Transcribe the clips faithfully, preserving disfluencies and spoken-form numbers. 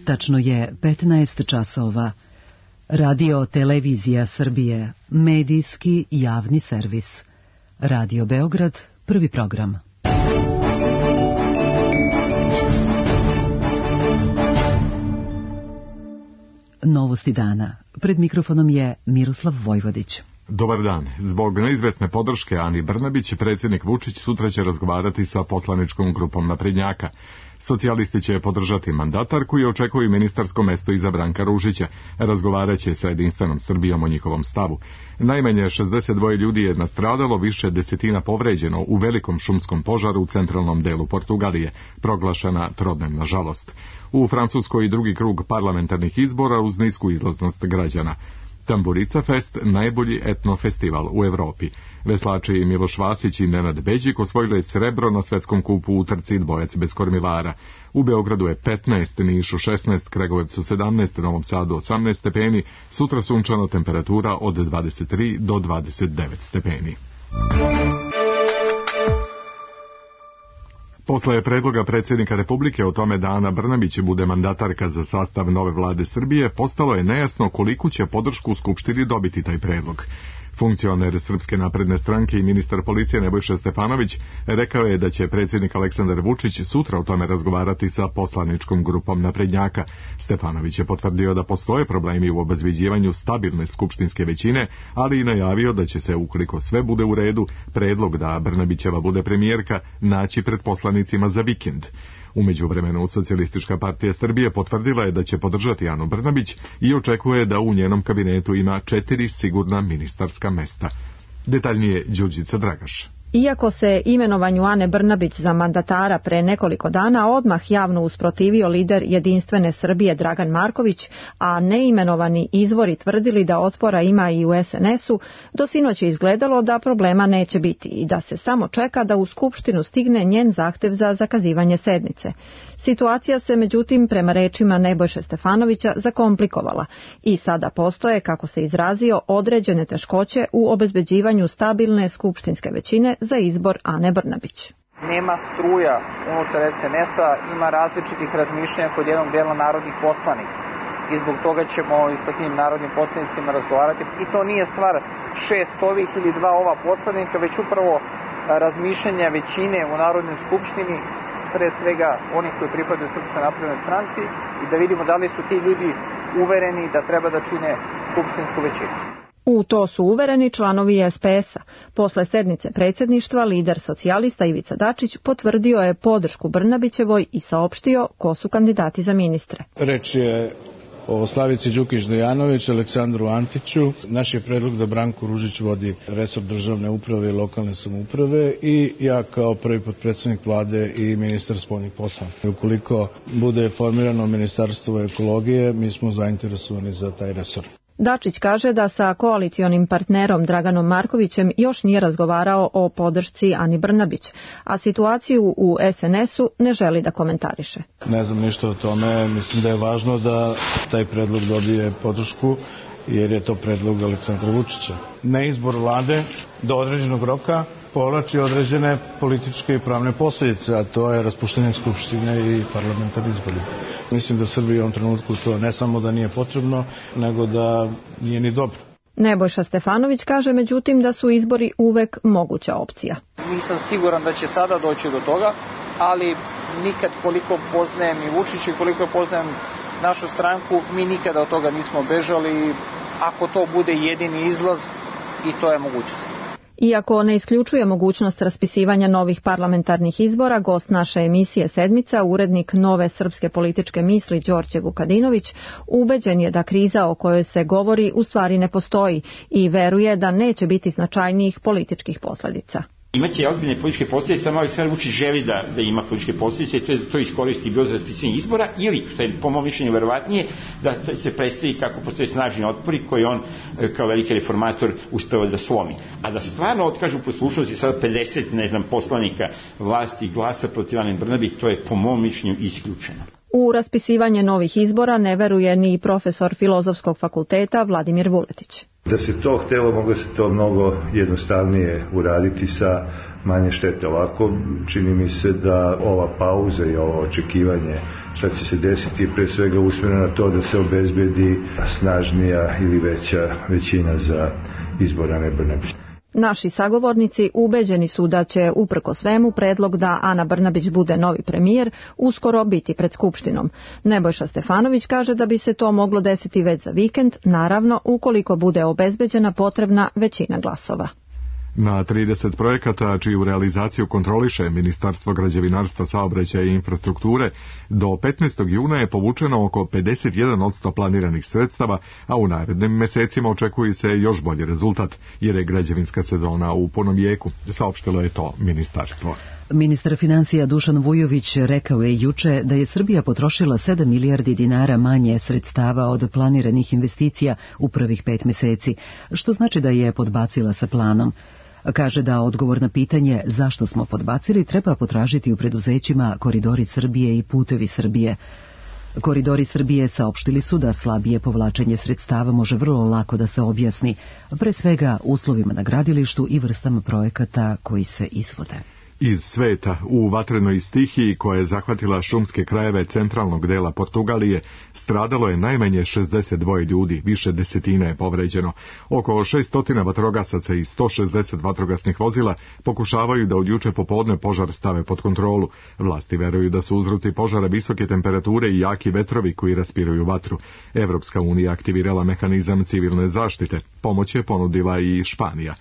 Tačno je petnaest časova. Radio Televizija Srbije, medijski javni servis. Radio Beograd, prvi program. Novosti dana. Pred mikrofonom je Miroslav Vojvodić. Dobar dan. Zbog neizvesne podrške Ani Brnabić, predsjednik Vučić sutra će razgovarati sa poslaničkom grupom naprednjaka. Socijalisti će podržati mandatarku i očekuju ministarsko mesto iza Branka Ružića. Razgovarat će sa Jedinstvenom Srbijom o njihovom stavu. Najmanje šezdeset dva ljudi je nastradalo, više desetina povređeno u velikom šumskom požaru u centralnom delu Portugalije, proglašena trodnevna žalost. U Francuskoj i drugi krug parlamentarnih izbora uz nisku izlaznost građana. Tamburica Fest, najbolji etno festival u Evropi. Veslači Miloš Vasić i Nenad Beđik osvojili srebro na svetskom kupu u trci dvojac bez kormilara. U Beogradu je petnaest, Nišu šesnaest, Kragujevcu sedamnaest, Novom Sadu osamnaest stepeni, sutra sunčana, temperatura od dvadeset tri do dvadeset devet stepeni. Posle predloga predsjednika Republike o tome da Ana Brnabić bude mandatarka za sastav nove vlade Srbije, postalo je nejasno koliku će podršku u Skupštini dobiti taj predlog. Funkcioner Srpske napredne stranke i ministar policije Nebojša Stefanović rekao je da će predsjednik Aleksandar Vučić sutra o tome razgovarati sa poslaničkom grupom naprednjaka. Stefanović je potvrdio da postoje problemi u obezbeđivanju stabilne skupštinske većine, ali i najavio da će se, ukoliko sve bude u redu, predlog da Brnabićeva bude premijerka naći pred poslanicima za vikend. U međuvremenu Socijalistička partija Srbije potvrdila je da će podržati Anu Brnabić i očekuje da u njenom kabinetu ima četiri sigurna ministarska mesta. Detaljnije Đurđica Dragaš. Iako se imenovanju Ane Brnabić za mandatara pre nekoliko dana odmah javno usprotivio lider Jedinstvene Srbije Dragan Marković, a neimenovani izvori tvrdili da otpora ima i u es en esu, do sinoć je izgledalo da problema neće biti i da se samo čeka da u Skupštinu stigne njen zahtev za zakazivanje sednice. Situacija se međutim, prema rečima Nebojše Stefanovića, zakomplikovala i sada postoje, kako se izrazio, određene teškoće u obezbeđivanju stabilne skupštinske većine za izbor Ane Brnabić. Nema struja unutar es en esa, ima različitih razmišljanja kod jednog dela narodnih poslanika i zbog toga ćemo i sa tim narodnim poslanicima razgovarati. I to nije stvar šest ovih ili dva ova poslanika, već upravo razmišljanja većine u Narodnoj skupštini, pre svega onih koji pripadaju Srpskoj naprednoj stranci, i da vidimo da li su ti ljudi uvereni da treba da čine skupštinsku većinu. U to su uvereni članovi es pe esa. Posle sednice predsjedništva, lider socijalista Ivica Dačić potvrdio je podršku Brnabićevoj i saopštio ko su kandidati za ministre. Reč je o Slavici Đukić-Dejanović, Aleksandru Antiću. Naš je predlog da Branko Ružić vodi resor državne uprave i lokalne samouprave i ja kao prvi potpredsjednik vlade i ministar spoljnih poslova. Ukoliko bude formirano ministarstvo ekologije, mi smo zainteresovani za taj resor. Dačić kaže da sa koalicionim partnerom Draganom Markovićem još nije razgovarao o podršci Ani Brnabić, a situaciju u es en esu ne želi da komentariše. Ne znam ništa o tome, mislim da je važno da taj predlog dobije podršku, jer je to predlog Aleksandra Vučića. Neizbor vlade do određenog roka povlači određene političke i pravne posljedice, a to je raspuštanje skupštine i parlamentarni izbori. Mislim da Srbiji u ovom trenutku to ne samo da nije potrebno, nego da nije ni dobro. Nebojša Stefanović kaže međutim da su izbori uvek moguća opcija. Nisam siguran da će sada doći do toga, ali nikad koliko poznajem i Vučića i koliko poznajem našu stranku, mi nikada od toga nismo bežali. Ako to bude jedini izlaz, i to je mogućnost. Iako ne isključuje mogućnost raspisivanja novih parlamentarnih izbora, gost naše emisije Sedmica, urednik Nove srpske političke misli Đorđe Vukadinović, ubeđen je da kriza o kojoj se govori u stvari ne postoji i veruje da neće biti značajnijih političkih posljedica. Imaće ozbiljne političke posljedice, samo Aleksandar Vučić želi da, da ima političke posljedice i to, to iskoristi bilo za raspisivanje izbora, ili, što je po mom mišljenju verovatnije, da se predstavi kako postoje snažni otpori koji on kao veliki reformator uspeva da slomi. A da stvarno otkažu poslušnosti sada pedeset, ne znam, poslanika vlasti glasa protiv Ane Brnabić, to je po mom mišljenju isključeno. U raspisivanje novih izbora ne veruje ni profesor Filozofskog fakulteta Vladimir Vuletić. Da se to htelo, moglo se to mnogo jednostavnije uraditi sa manje štete. Ovako čini mi se da ova pauza i ovo očekivanje šta će se desiti je pre svega usmjereno na to da se obezbedi snažnija ili veća većina za izbor Ane Brnabić. Naši sagovornici ubeđeni su da će, uprko svemu, predlog da Ana Brnabić bude novi premijer uskoro biti pred Skupštinom. Nebojša Stefanović kaže da bi se to moglo desiti već za vikend, naravno ukoliko bude obezbeđena potrebna većina glasova. Na trideset projekata čiju realizaciju kontroliše Ministarstvo građevinarstva, saobraćaja i infrastrukture, do petnaestog juna je povučeno oko pedeset jedan posto planiranih sredstava, a u narednim mesecima očekuje se još bolji rezultat, jer je građevinska sezona u punom jeku, saopštilo je to ministarstvo. Ministar financija Dušan Vujović rekao je juče da je Srbija potrošila sedam milijardi dinara manje sredstava od planiranih investicija u prvih pet meseci, što znači da je podbacila sa planom. Kaže da odgovor na pitanje zašto smo podbacili treba potražiti u preduzećima Koridori Srbije i Putevi Srbije. Koridori Srbije saopštili su da slabije povlačenje sredstava može vrlo lako da se objasni, pre svega uslovima na gradilištu i vrstama projekata koji se izvode. Iz sveta, u vatrenoj stihiji koja je zahvatila šumske krajeve centralnog dela Portugalije, stradalo je najmanje šezdeset dva ljudi, više desetina je povređeno. Oko šesto vatrogasaca i sto šezdeset vatrogasnih vozila pokušavaju da od juče popodne požar stave pod kontrolu. Vlasti veruju da su uzroci požara visoke temperature i jaki vetrovi koji raspiruju vatru. Evropska unija aktivirala mehanizam civilne zaštite. Pomoć je ponudila i Španija.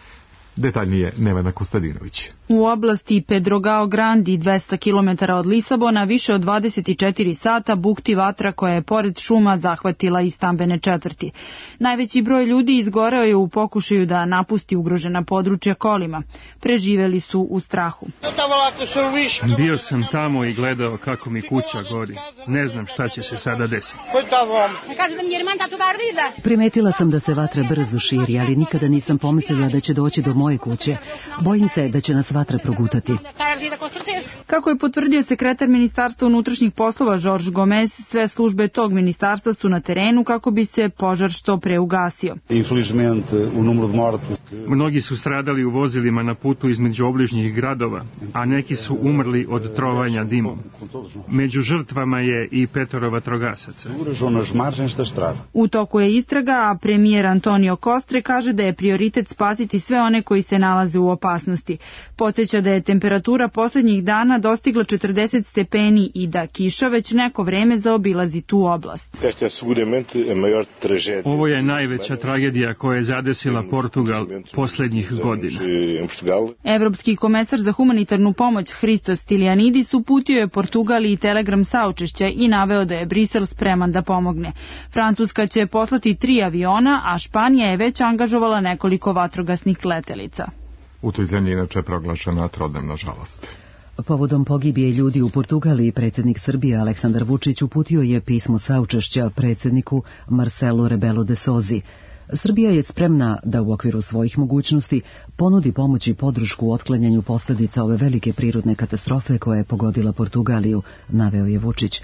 Detaljnije Nevena Kostadinović. U oblasti Pedrogao Grandi, dvesta kilometara od Lisabona, više od dvadeset četiri sata bukti vatra koja je pored šuma zahvatila i stambene četvrti. Najveći broj ljudi izgoreo je u pokušaju da napusti ugrožena područja kolima. Preživeli su u strahu. Bio sam tamo i gledao kako mi kuća gori. Ne znam šta će se sada desiti. Primetila sam da se vatra brzo širi, ali nikada nisam pomislila da će doći do moje kuće. Bojim se da će nas vatra progutati. Kako je potvrdio sekretar Ministarstva unutrašnjih poslova Jorge Gomes, sve službe tog ministarstva su na terenu kako bi se požar što pre ugasio. Mnogi su stradali u vozilima na putu između obližnjih gradova, a neki su umrli od trovanja dimom. Među žrtvama je i petoro vatrogasaca. U toku je istraga, a premijer Antonio Costre kaže da je prioritet spasiti sve one koji se nalaze u opasnosti. Podsjeća da je temperatura posljednjih dana dostigla četrdeset stepeni i da kiša već neko vreme zaobilazi tu oblast. Ovo je najveća tragedija koja je zadesila Portugal posljednjih godina. Evropski komesar za humanitarnu pomoć Hristos Stylianidis uputio je Portugaliji telegram saučešća i naveo da je Brisel spreman da pomogne. Francuska će poslati tri aviona, a Španija je već angažovala nekoliko vatrogasnih letelica. U toj zemlji inače je proglašena trodnevna žalost. Povodom pogibije ljudi u Portugaliji, predsjednik Srbije Aleksandar Vučić uputio je pismo saučešća predsjedniku Marcelu Rebelo de Sousi. Srbija je spremna da u okviru svojih mogućnosti ponudi pomoć i podršku u otklanjanju posljedica ove velike prirodne katastrofe koja je pogodila Portugaliju, naveo je Vučić.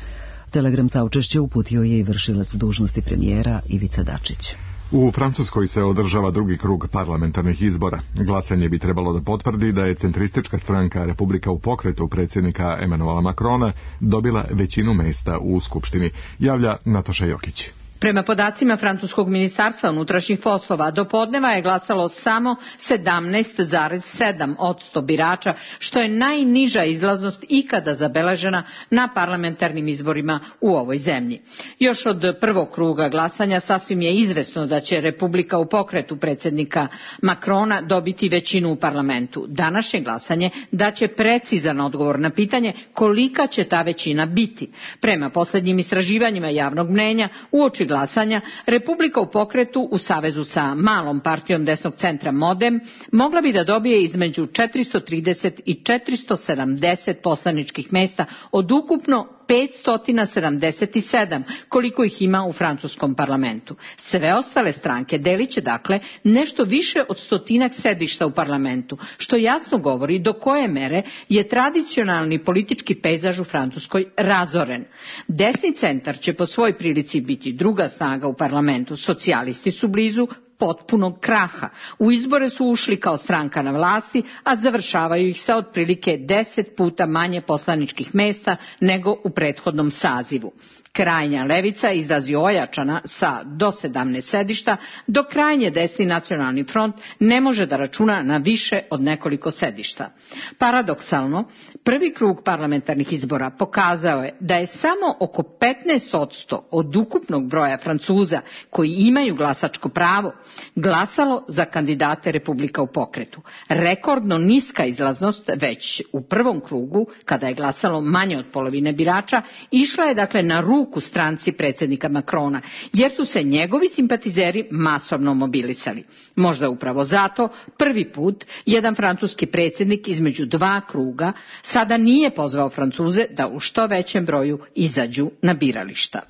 Telegram saučešća uputio je i vršilac dužnosti premijera Ivica Dačić. U Francuskoj se održava drugi krug parlamentarnih izbora. Glasanje bi trebalo da potvrdi da je centristička stranka Republika u pokretu predsjednika Emanuela Macrona dobila većinu mesta u Skupštini, javlja Nataša Jokić. Prema podacima francuskog ministarstva unutrašnjih poslova, do podneva je glasalo samo sedamnaest zarez sedam posto birača, što je najniža izlaznost ikada zabeležena na parlamentarnim izborima u ovoj zemlji. Još od prvog kruga glasanja sasvim je izvesno da će Republika u pokretu predsjednika Macrona dobiti većinu u parlamentu. Današnje glasanje daće precizan odgovor na pitanje kolika će ta većina biti. Prema posljednjim istraživanjima javnog mnenja, uoči glasanja, Republika u pokretu u savezu sa malom partijom desnog centra Modem mogla bi da dobije između četiristo trideset i četiristo sedamdeset poslaničkih mesta od ukupno petsto sedamdeset sedam, koliko ih ima u francuskom parlamentu. Sve ostale stranke delit će dakle nešto više od stotinak sedišta u parlamentu, što jasno govori do koje mere je tradicionalni politički pejzaž u Francuskoj razoren. Desni centar će po svoj prilici biti druga snaga u parlamentu, socijalisti su blizu, potpunog kraha. U izbore su ušli kao stranka na vlasti, a završavaju ih sa otprilike deset puta manje poslaničkih mesta nego u prethodnom sazivu. Krajnja levica izlazi ojačana sa do sedamnaest sedišta, dok krajnje desni Nacionalni front ne može da računa na više od nekoliko sedišta. Paradoksalno, prvi krug parlamentarnih izbora pokazao je da je samo oko petnaest posto od ukupnog broja Francuza koji imaju glasačko pravo glasalo za kandidate Republika u pokretu. Rekordno niska izlaznost već u prvom krugu, kada je glasalo manje od polovine birača, išla je dakle na ruku u stranci predsjednika Macrona, jer su se njegovi simpatizeri masovno mobilisali. Možda upravo zato prvi put jedan francuski predsjednik između dva kruga sada nije pozvao Francuze da u što većem broju izađu na birališta.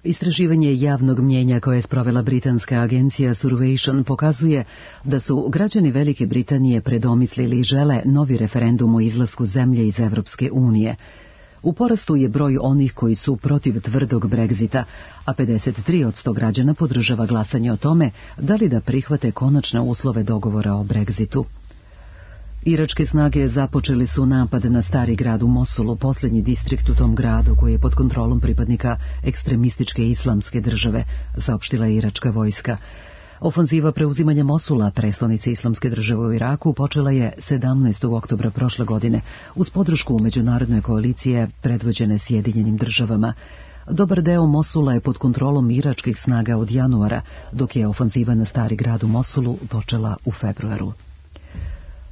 Istraživanje javnog mnjenja koje je sprovela britanska agencija Survation pokazuje da su građani Velike Britanije predomislili i žele novi referendum o izlasku zemlje iz Evropske unije. U porastu je broj onih koji su protiv tvrdog Brexita, a pedeset tri posto građana podržava glasanje o tome da li da prihvate konačne uslove dogovora o Brexitu. Iračke snage započeli su napad na stari grad u Mosulu, posljednji distrikt u tom gradu koji je pod kontrolom pripadnika ekstremističke islamske države, saopštila je iračka vojska. Ofanziva preuzimanja Mosula, prestonice islamske države u Iraku, počela je sedamnaestog oktobra prošle godine uz podršku međunarodne koalicije predvođene Sjedinjenim državama. Dobar deo Mosula je pod kontrolom iračkih snaga od januara, dok je ofanziva na stari grad u Mosulu počela u februaru.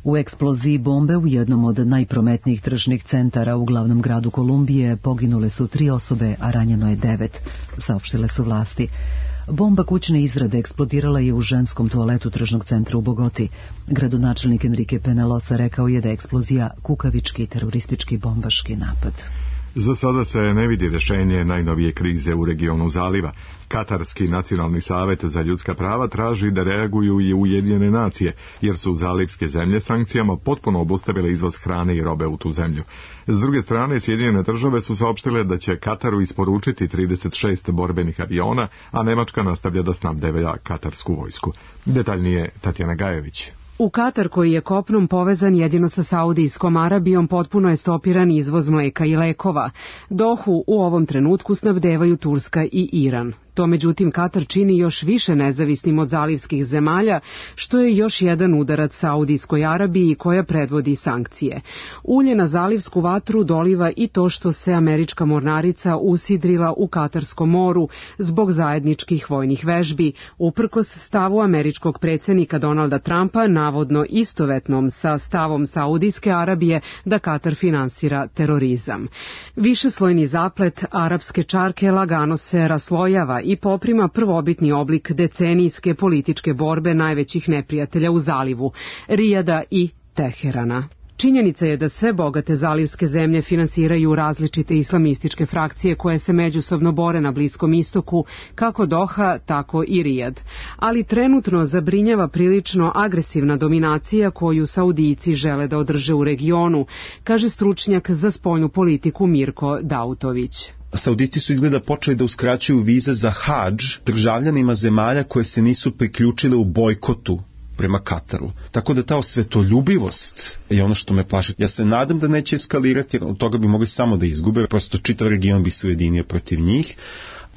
U eksploziji bombe u jednom od najprometnijih tržnih centara u glavnom gradu Kolumbije poginule su tri osobe, a ranjeno je devet, saopštile su vlasti. Bomba kućne izrade eksplodirala je u ženskom toaletu tržnog centra u Bogoti. Gradonačelnik Enrique Penalosa rekao je da je eksplozija kukavički teroristički bombaški napad. Za sada se ne vidi rješenje najnovije krize u regionu zaliva. Katarski nacionalni savjet za ljudska prava traži da reaguju i Ujedinjene nacije, jer su zalivske zemlje sankcijama potpuno obustavile izvoz hrane i robe u tu zemlju. S druge strane, Sjedinjene države su saopštile da će Kataru isporučiti trideset šest borbenih aviona, a Nemačka nastavlja da snabdeva katarsku vojsku. Detaljnije Tatjana Gajević. U Katar, koji je kopnom povezan jedino sa Saudijskom Arabijom, potpuno je stopiran izvoz mleka i lekova. Dohu u ovom trenutku snabdevaju Turska i Iran. To međutim Katar čini još više nezavisnim od zalivskih zemalja, što je još jedan udarac Saudijskoj Arabiji koja predvodi sankcije. Ulje na zalivsku vatru doliva i to što se američka mornarica usidrila u Katarskom moru zbog zajedničkih vojnih vežbi, uprkos stavu američkog predsjednika Donalda Trumpa, navodno istovetnom sa stavom Saudijske Arabije da Katar finansira terorizam. Višeslojni zaplet arapske čarke lagano se raslojava i poprima prvobitni oblik decenijske političke borbe najvećih neprijatelja u zalivu, Rijada i Teherana. Činjenica je da sve bogate zalivske zemlje finansiraju različite islamističke frakcije koje se međusobno bore na Bliskom istoku, kako Doha, tako i Rijad. Ali trenutno zabrinjava prilično agresivna dominacija koju Saudijci žele da održe u regionu, kaže stručnjak za spoljnu politiku Mirko Dautović. Saudici su izgleda počeli da uskraćuju vize za hadž državljanima zemalja koje se nisu priključile u bojkotu prema Kataru. Tako da ta osvetoljubivost je ono što me plaši. Ja se nadam da neće eskalirati, jer od toga bi mogli samo da izgube, prosto čitav region bi se ujedinio protiv njih,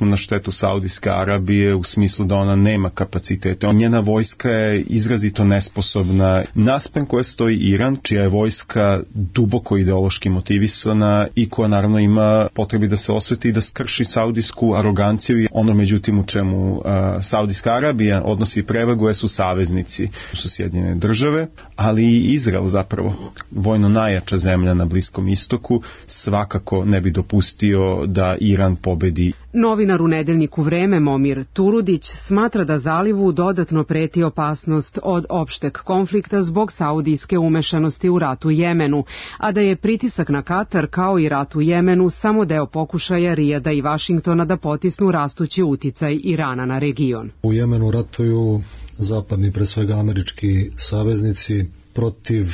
na štetu Saudijske Arabije u smislu da ona nema kapacitete. Njena vojska je izrazito nesposobna. Naspram koje stoji Iran, čija je vojska duboko ideološki motivisana i koja naravno ima potrebi da se osveti i da skrši saudijsku aroganciju. Ono međutim u čemu uh, Saudijska Arabija odnosi prevagu su saveznici, su Sjedinjene države, ali i Izrael zapravo, vojno najjača zemlja na Bliskom istoku, svakako ne bi dopustio da Iran pobedi. Novinar u nedeljniku Vreme Momir Turudić smatra da zalivu dodatno preti opasnost od opšteg konflikta zbog saudijske umešanosti u rat u Jemenu, a da je pritisak na Katar kao i rat u Jemenu samo deo pokušaja Rijada i Vašingtona da potisnu rastući uticaj Irana na region. U Jemenu ratuju zapadni, pre svega američki saveznici, protiv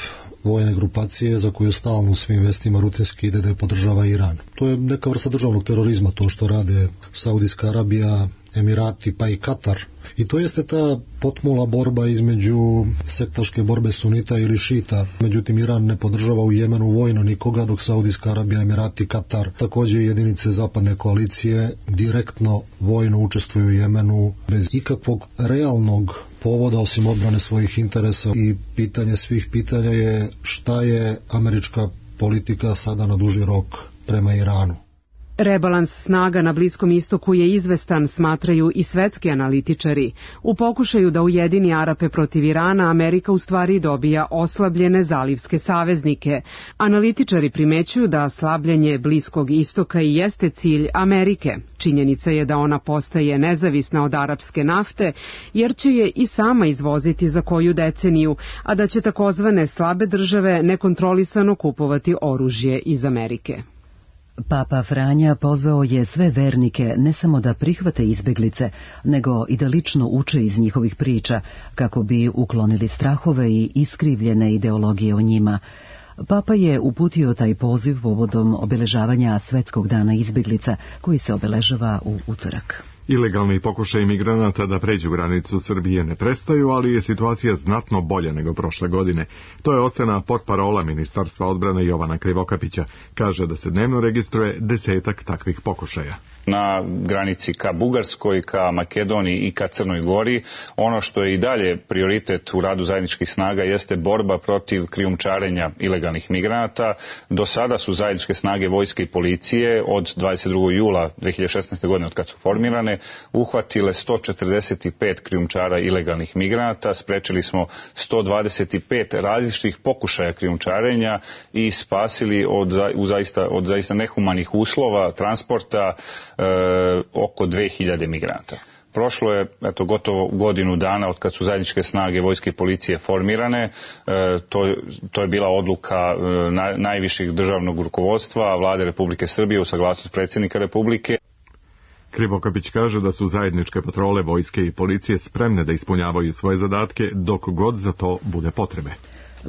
vojne grupacije za koju stalno u svim vestima rutinski ide da je podržava Iran. To je neka vrsta državnog terorizma, to što rade Saudijska Arabija, Emirati pa i Katar. I to jeste ta potmula borba između sektaške borbe sunita ili šita. Međutim, Iran ne podržava u Jemenu vojno nikoga, dok Saudijska Arabija, Emirati, Katar, također jedinice zapadne koalicije, direktno vojno učestvuju u Jemenu bez ikakvog realnog povoda osim odbrane svojih interesa. I pitanje svih pitanja je šta je američka politika sada na duži rok prema Iranu. Rebalans snaga na Bliskom istoku je izvestan, smatraju i svetski analitičari. U pokušaju da ujedini Arape protiv Irana, Amerika u stvari dobija oslabljene zalivske saveznike. Analitičari primećuju da slabljenje Bliskog istoka i jeste cilj Amerike. Činjenica je da ona postaje nezavisna od arapske nafte, jer će je i sama izvoziti za koju deceniju, a da će takozvane slabe države nekontrolisano kupovati oružje iz Amerike. Papa Franja pozvao je sve vernike ne samo da prihvate izbeglice, nego i da lično uče iz njihovih priča, kako bi uklonili strahove i iskrivljene ideologije o njima. Papa je uputio taj poziv povodom obeležavanja Svetskog dana izbeglica, koji se obeležava u utorak. Ilegalni pokušaj migranata da pređu granicu Srbije ne prestaju, ali je situacija znatno bolja nego prošle godine. To je ocena portparola Ministarstva odbrane Jovana Krivokapića. Kaže da se dnevno registruje desetak takvih pokušaja. Na granici ka Bugarskoj, ka Makedoniji i ka Crnoj Gori. Ono što je i dalje prioritet u radu zajedničkih snaga jeste borba protiv krijumčarenja ilegalnih migranata. Do sada su zajedničke snage vojske i policije od dvadeset drugog jula dve hiljade šesnaeste. godine, od kad su formirane, uhvatile sto četrdeset pet krijumčara ilegalnih migranata, sprečili smo sto dvadeset pet različitih pokušaja krijumčarenja i spasili od, u zaista, od zaista nehumanih uslova transporta e, oko dve hiljade migranata. Prošlo je eto, gotovo godinu dana od kad su zajedničke snage vojske i policije formirane. E, to, to je bila odluka e, na, najviših državnog rukovodstva Vlade Republike Srbije u saglasnost predsjednika Republike. Krivokapić kaže da su zajedničke patrole vojske i policije spremne da ispunjavaju svoje zadatke dok god za to bude potrebe.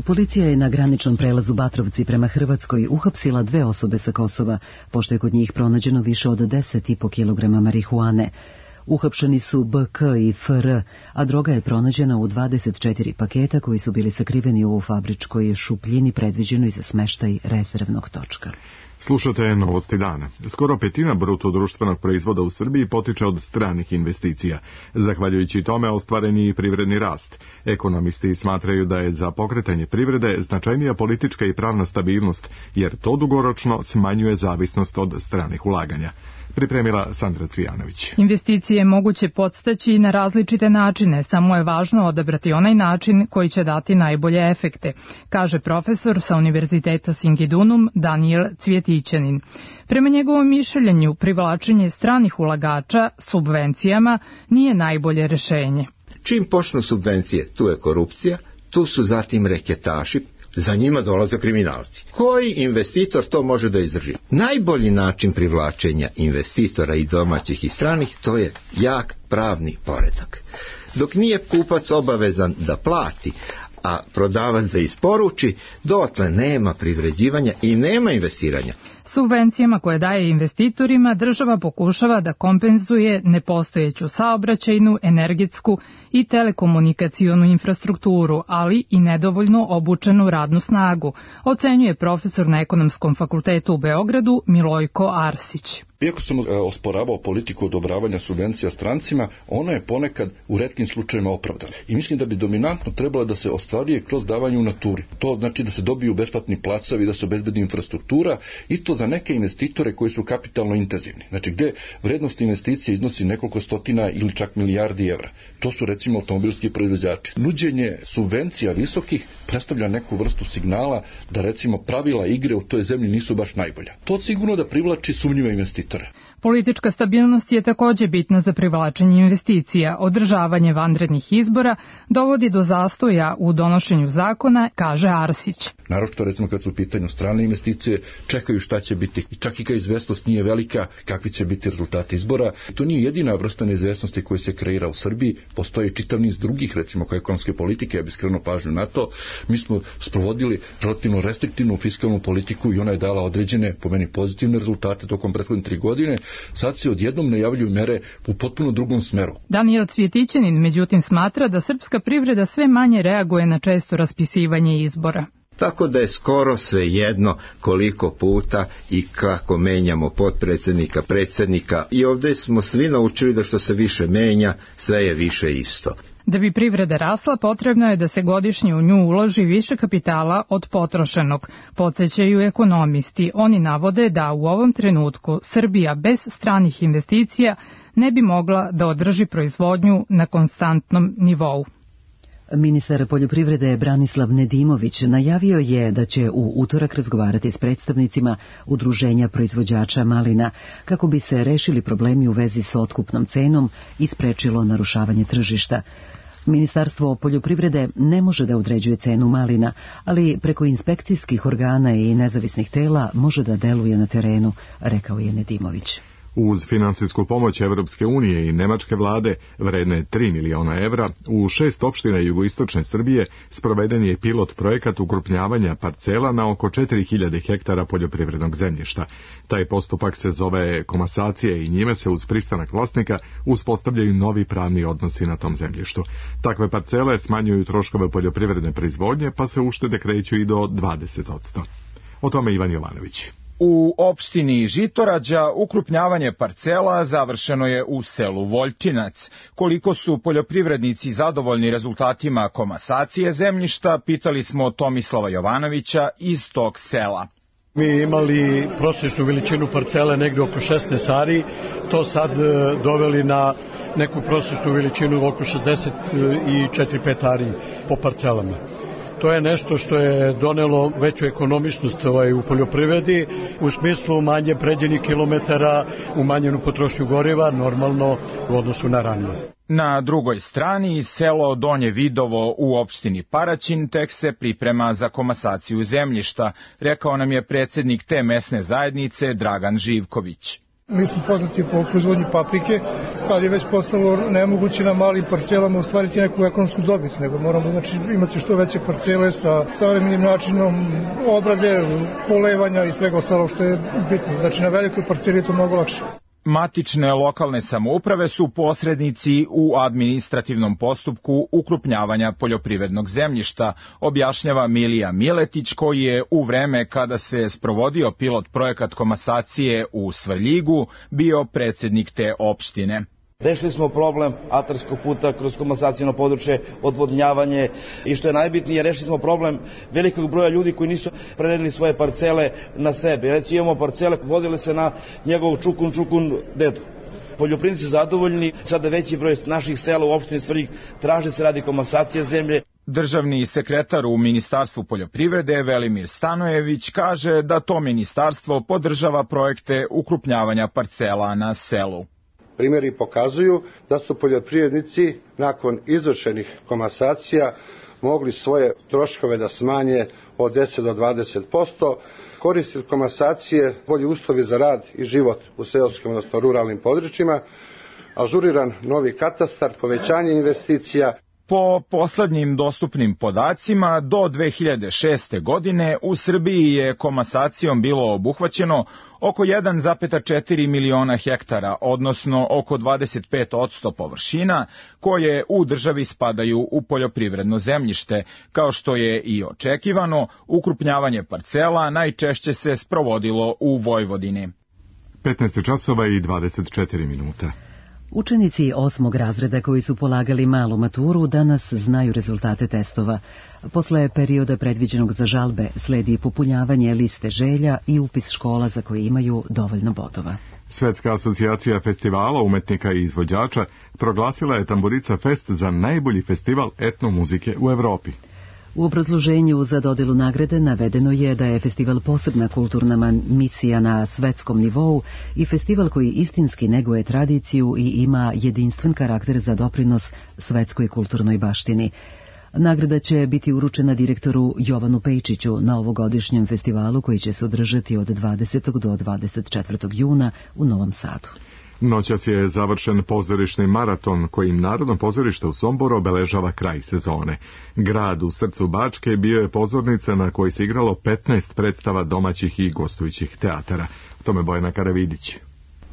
Policija je na graničnom prelazu Batrovci prema Hrvatskoj uhapsila dve osobe sa Kosova, pošto je kod njih pronađeno više od deset i po kilograma marihuane. Uhapšeni su B K i F R, a droga je pronađena u dvadeset četiri paketa koji su bili sakriveni u fabričkoj šupljini predviđenoj za smeštaj rezervnog točka. Slušate Novosti dana. Skoro petina bruto društvenog proizvoda u Srbiji potiče od stranih investicija. Zahvaljujući tome ostvaren je i privredni rast. Ekonomisti smatraju da je za pokretanje privrede značajnija politička i pravna stabilnost, jer to dugoročno smanjuje zavisnost od stranih ulaganja. Pripremila Sandra Cvijanović. Investicije je moguće podstaći na različite načine, samo je važno odabrati onaj način koji će dati najbolje efekte, kaže profesor sa Univerziteta Singidunum Daniel Cvjetićanin. Prema njegovom mišljenju, privlačenje stranih ulagača subvencijama nije najbolje rešenje. Čim počnu subvencije, tu je korupcija, tu su zatim reketaši, za njima dolaze kriminalci. Koji investitor to može da izdrži? Najbolji način privlačenja investitora i domaćih i stranih, to je jak pravni poredak. Dok nije kupac obavezan da plati, a prodavac da isporuči, dotle nema privređivanja i nema investiranja. Subvencijama koje daje investitorima država pokušava da kompenzuje nepostojeću saobraćajnu, energetsku i telekomunikacionu infrastrukturu, ali i nedovoljno obučenu radnu snagu, ocenjuje profesor na Ekonomskom fakultetu u Beogradu Milojko Arsić. Iako sam osporavao politiku odobravanja subvencija strancima, ona je ponekad u retkim slučajevima opravdana. I mislim da bi dominantno trebalo da se ostvaruje kroz davanje u naturi. To znači da se dobiju besplatni placovi, da se obezbedi infrastruktura i to za neke investitore koji su kapitalno intenzivni. Znači gde vrednost investicije iznosi nekoliko stotina ili čak milijardi evra. To su recimo automobilski proizvođači. Nuđenje subvencija visokih predstavlja neku vrstu signala da recimo pravila igre u toj zemlji nisu baš najbolja. To sigurno da privlači sumnjive investitore. investitore. Politička stabilnost je takođe bitna za privlačenje investicija. Održavanje vanrednih izbora dovodi do zastoja u donošenju zakona, kaže Arsić. Naročito, recimo, kad su u pitanju strane investicije, čekaju šta će biti. Čak i kad izvesnost nije velika, kakvi će biti rezultati izbora. To nije jedina vrsta neizvesnosti koja se kreira u Srbiji. Postoji čitav niz drugih, recimo, kao ekonomske politike, ja bih skrenuo pažnju na to. Mi smo sprovodili relativno restriktivnu fiskalnu politiku i ona je dala određene, po meni, pozitivne rezultate tokom prethodne tri godine. Sad se odjednom najavljuju mere u potpuno drugom smeru. Daniel Cvjetićanin, međutim, smatra da srpska privreda sve manje reaguje na često raspisivanje izbora. Tako da je skoro sve jedno koliko puta i kako menjamo potpredsjednika, predsjednika. I ovdje smo svi naučili da što se više menja, sve je više isto. Da bi privreda rasla, potrebno je da se godišnje u nju uloži više kapitala od potrošenog. Podsećaju ekonomisti. Oni navode da u ovom trenutku Srbija bez stranih investicija ne bi mogla da održi proizvodnju na konstantnom nivou. Ministar poljoprivrede Branislav Nedimović najavio je da će u utorak razgovarati s predstavnicima udruženja proizvođača malina kako bi se rešili problemi u vezi s otkupnom cenom i sprečilo narušavanje tržišta. Ministarstvo poljoprivrede ne može da određuje cenu malina, ali preko inspekcijskih organa i nezavisnih tela može da deluje na terenu, rekao je Nedimović. Uz finansijsku pomoć Evropske unije i nemačke vlade, vredne tri miliona evra, u šest opština jugoistočne Srbije sproveden je pilot projekat ukrupnjavanja parcela na oko četiri hiljade hektara poljoprivrednog zemljišta. Taj postupak se zove komasacija i njime se uz pristanak vlasnika uspostavljaju novi pravni odnosi na tom zemljištu. Takve parcele smanjuju troškove poljoprivredne proizvodnje, pa se uštede kreću i do dvadeset posto. O tome Ivan Jovanović. U opštini Žitorađa ukrupnjavanje parcela završeno je u selu Voljčinac. Koliko su poljoprivrednici zadovoljni rezultatima komasacije zemljišta, pitali smo Tomislava Jovanovića iz tog sela. Mi imali prosječnu veličinu parcele negde oko šesnaest ari, to sad doveli na neku prosječnu veličinu oko šezdeset četiri pet ari po parcelama. To je nešto što je donelo veću ekonomičnost ovaj, u poljoprivredi, u smislu manje pređenih kilometara, umanjenu potrošnju goriva, normalno u odnosu na ranije. Na drugoj strani, selo Donje Vidovo u opštini Paraćin tek se priprema za komasaciju zemljišta, rekao nam je predsjednik te mesne zajednice Dragan Živković. Mi smo poznati po proizvodnji paprike, sad je već postalo nemoguće na malim parcelama ostvariti neku ekonomsku dobit, nego moramo znači, imati što veće parcele sa savremenim načinom obrade, polevanja i svega ostalog što je bitno. Znači na velikoj parceli je to mnogo lakše. Matične lokalne samouprave su posrednici u administrativnom postupku ukrupnjavanja poljoprivrednog zemljišta, objašnjava Milija Miletić, koji je u vreme kada se sprovodio pilot projekat komasacije u Svrljigu bio predsjednik te opštine. Rešili smo problem atarskog puta kroz komasacijno područje, odvodnjavanje i što je najbitnije, rešili smo problem velikog broja ljudi koji nisu preneli svoje parcele na sebe. Reći imamo parcele, vodile se na njegov čukun, čukun, dedu. Poljoprivrednici su zadovoljni, sada veći broj naših sela u opštini Svrljig traži se radi komasacije zemlje. Državni sekretar u Ministarstvu poljoprivrede Velimir Stanojević kaže da to ministarstvo podržava projekte ukrupnjavanja parcela na selu. Primjeri pokazuju da su poljoprivrednici nakon izvršenih komasacija mogli svoje troškove da smanje od deset do dvadeset posto, koristi od komasacije bolji uslovi za rad i život u seoskim, odnosno ruralnim područjima, ažuriran novi katastar, povećanje investicija. Po poslednjim dostupnim podacima, do dve hiljade šeste. godine u Srbiji je komasacijom bilo obuhvaćeno oko jedan zarez četiri miliona hektara, odnosno oko dvadeset pet posto površina koje u državi spadaju u poljoprivredno zemljište. Kao što je i očekivano, ukrupnjavanje parcela najčešće se sprovodilo u Vojvodini. petnaest časova i dvadeset četiri minuta. Učenici osmog razreda koji su polagali malu maturu danas znaju rezultate testova. Posle perioda predviđenog za žalbe sledi popunjavanje liste želja i upis škola za koje imaju dovoljno bodova. Svetska asocijacija festivala, umetnika i izvođača proglasila je Tamburica Fest za najbolji festival etnomuzike u Evropi. U obrazloženju za dodelu nagrade navedeno je da je festival posebna kulturna misija na svetskom nivou i festival koji istinski neguje tradiciju i ima jedinstven karakter za doprinos svetskoj kulturnoj baštini. Nagrada će biti uručena direktoru Jovanu Pejčiću na ovogodišnjem festivalu koji će se održati od dvadesetog do dvadeset četvrtog juna u Novom Sadu. Noćas je završen pozorišni maraton kojim Narodno pozorište u Somboru obeležava kraj sezone. Grad u srcu Bačke bio je pozornica na kojoj se igralo petnaest predstava domaćih i gostujućih teatara. O tome Bojana Karavidić.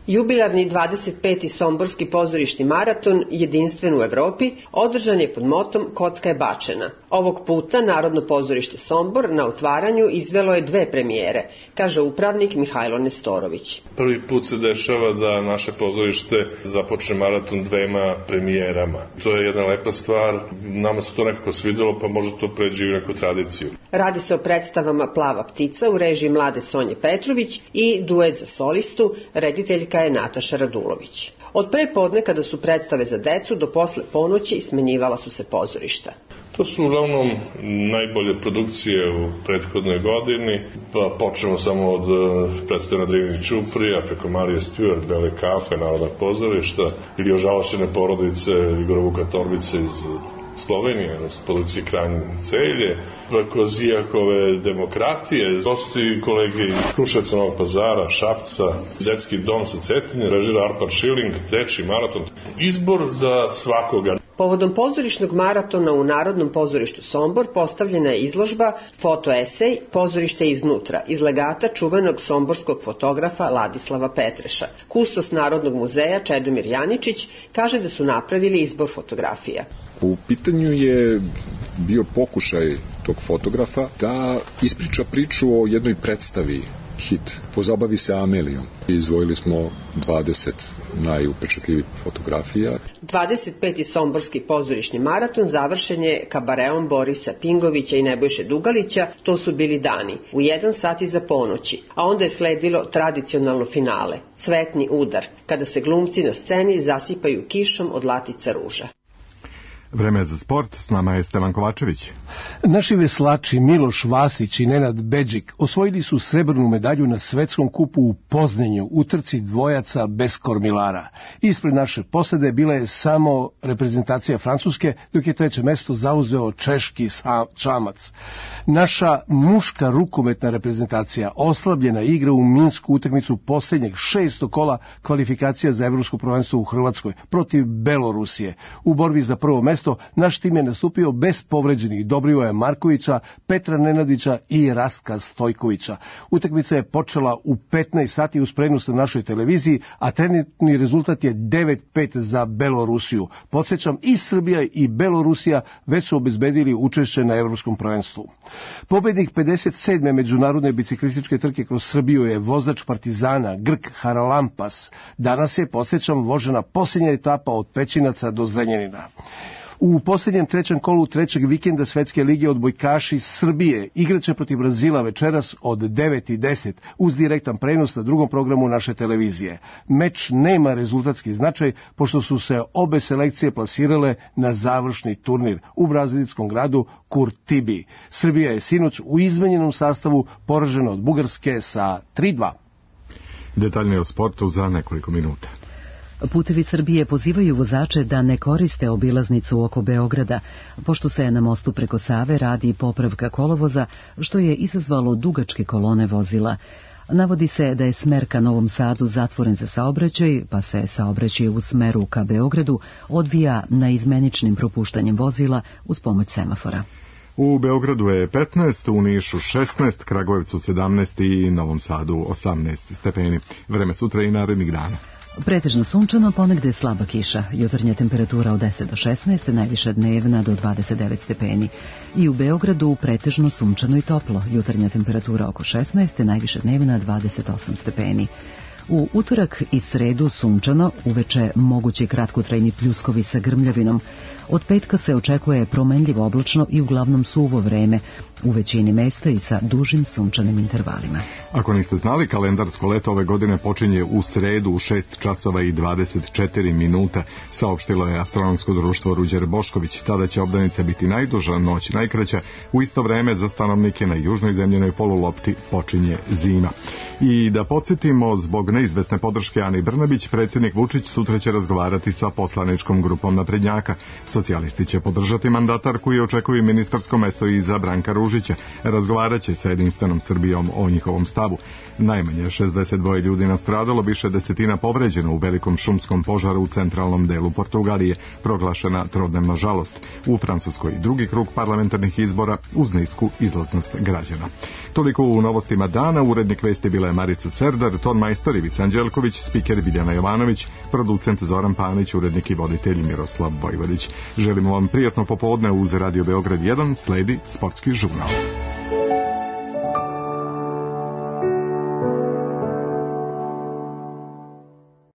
Jubilarni dvadeset peti Somborski pozorišni maraton, jedinstven u Evropi, održan je pod motom Kocka je bačena. Ovog puta Narodno pozorište Sombor na otvaranju izvelo je dve premijere, kaže upravnik Mihajlo Nestorović. Prvi put se dešava da naše pozorište započne maraton dvema premijerama. To je jedna lepa stvar, nama se to nekako svidelo, pa možda to pređe u neku tradiciju. Radi se o predstavama Plava ptica u režiji mlade Sonje Petrović i duet za solistu, rediteljka je Nataša Radulović. Od pre podne kada su predstave za decu do posle ponoći smenjivala su se pozorišta. To su uglavnom najbolje produkcije u prethodnoj godini, pa počnemo samo od predstave na Drivini Ćuprija, preko Marije Stewart, Bele kafe, Narodnog pozorišta, ili Ožalošćene porodice Igora Vuka Torbice iz Slovenije, s produkcije Kranj Celje, preko Zijakove demokratije, gosti kolege iz Kruševca, Novog Pazara, Šapca, Detski dom sa Cetine, režira Arpad Šiling, Dečiji maraton, izbor za svakoga. Povodom pozorišnog maratona u Narodnom pozorištu Sombor postavljena je izložba fotoesej Pozorište iznutra iz legata čuvenog somborskog fotografa Ladislava Petreša. Kustos Narodnog muzeja Čedomir Janičić kaže da su napravili izbor fotografija. U pitanju je bio pokušaj tog fotografa da ispriča priču o jednoj predstavi, hit, Pozabavi se Amelijom. Izvojili smo dvadeset najupečatljivih fotografija. dvadeset peti Somborski pozorišni maraton završen je kabareom Borisa Pingovića i Nebojše Dugalića, To su bili dani, u jedan sat iza ponoći, a onda je sledilo tradicionalno finale, Cvetni udar, kada se glumci na sceni zasipaju kišom od latica ruža. Vreme za sport, s nama je Stevan Kovačević. Naši veslači Miloš Vasić i Nenad Bedžik osvojili su srebrnu medalju na svetskom kupu u Poznanju u trci dvojaca bez kormilara. Ispred naše posade bila je samo reprezentacija Francuske, dok je treće mesto zauzeo češki čamac. Naša muška rukometna reprezentacija oslabljena igra u Minsku utakmicu posljednjeg šestog kola kvalifikacija za evropsko prvenstvo u Hrvatskoj protiv Belorusije. U borbi za prvo mesto naš tim je nastupio bez povređenih Dobrivoja Markovića, Petra Nenadića i Rastka Stojkovića. Utakmica je počela u petnaest sati uz prenos na našoj televiziji, a trenutni rezultat je devet pet za Belorusiju. Podsjećam, i Srbija i Belorusija već su obezbedili učešće na evropskom prvenstvu. Pobednik pedeset sedme međunarodne biciklističke trke kroz Srbiju je vozač Partizana Grk Haralampas. Danas je, podsjećam, vožena posljednja etapa od Pećinaca do Zrenjanina. U posljednjem trećem kolu trećeg vikenda Svetske lige odbojkaši Srbije igraće protiv Brazila večeras od devet i deset uz direktan prenos na drugom programu naše televizije. Meč nema rezultatski značaj pošto su se obe selekcije plasirale na završni turnir u brazilskom gradu Curitibi. Srbija je sinoć u izmenjenom sastavu poražena od Bugarske sa tri dva. Detaljnije o sportu za nekoliko minuta. Putevi Srbije pozivaju vozače da ne koriste obilaznicu oko Beograda, pošto se na mostu preko Save radi popravka kolovoza, što je izazvalo dugačke kolone vozila. Navodi se da je smer ka Novom Sadu zatvoren za saobraćaj, pa se saobraćaj u smeru ka Beogradu odvija naizmeničnim propuštanjem vozila uz pomoć semafora. U Beogradu je petnaest, u Nišu šesnaest, Kragujevcu sedamnaest i Novom Sadu osamnaest stepeni. Vreme sutra i narednih dana. Pretežno sunčano, ponegde slaba kiša. Jutarnja temperatura od deset do šesnaest, najviša dnevna do dvadeset devet stepeni. I u Beogradu pretežno sunčano i toplo. Jutarnja temperatura oko šesnaest, najviša dnevna dvadeset osam stepeni. U utorak i sredu sunčano, uveče mogući kratkotrajni pljuskovi sa grmljavinom. Od petka se očekuje promenljivo oblačno i uglavnom suvo vreme, u većini mesta i sa dužim sunčanim intervalima. Ako niste znali, kalendarsko leto ove godine počinje u sredu u šest časova i dvadeset četiri minuta, saopštilo je Astronomsko društvo Ruđer Bošković. Tada će obdanica biti najduža, noć najkraća. U isto vreme za stanovnike na južnoj zemljenoj polulopti počinje zima. I da podsjetimo, zbog neizvesne podrške Ani Brnabić, predsjednik Vučić sutra će razgovarati sa poslaničkom grupom naprednjaka. Socijalisti će podržati mandatarku i očekuju ministarsko mesto i za Branka Ružića. Razgovarat će sa Jedinstvenom Srbijom o njihovom stavu. Najmanje šezdeset dva ljudi nastradalo, više desetina povređeno u velikom šumskom požaru u centralnom delu Portugalije, proglašena trodnevna žalost. U Francuskoj drugi krug parlamentarnih izbora uz nisku izlaznost građana. Toliko u novostima dana. Urednik vesti bila je Marica Serdar, ton majstor Ivica Anđelković, spiker Biljana Jovanović, producent Zoran Panić, urednik i voditelj Miroslav Vojvodić. Želimo vam prijatno popodne uz Radio Beograd jedan, sledi sportski žurnal.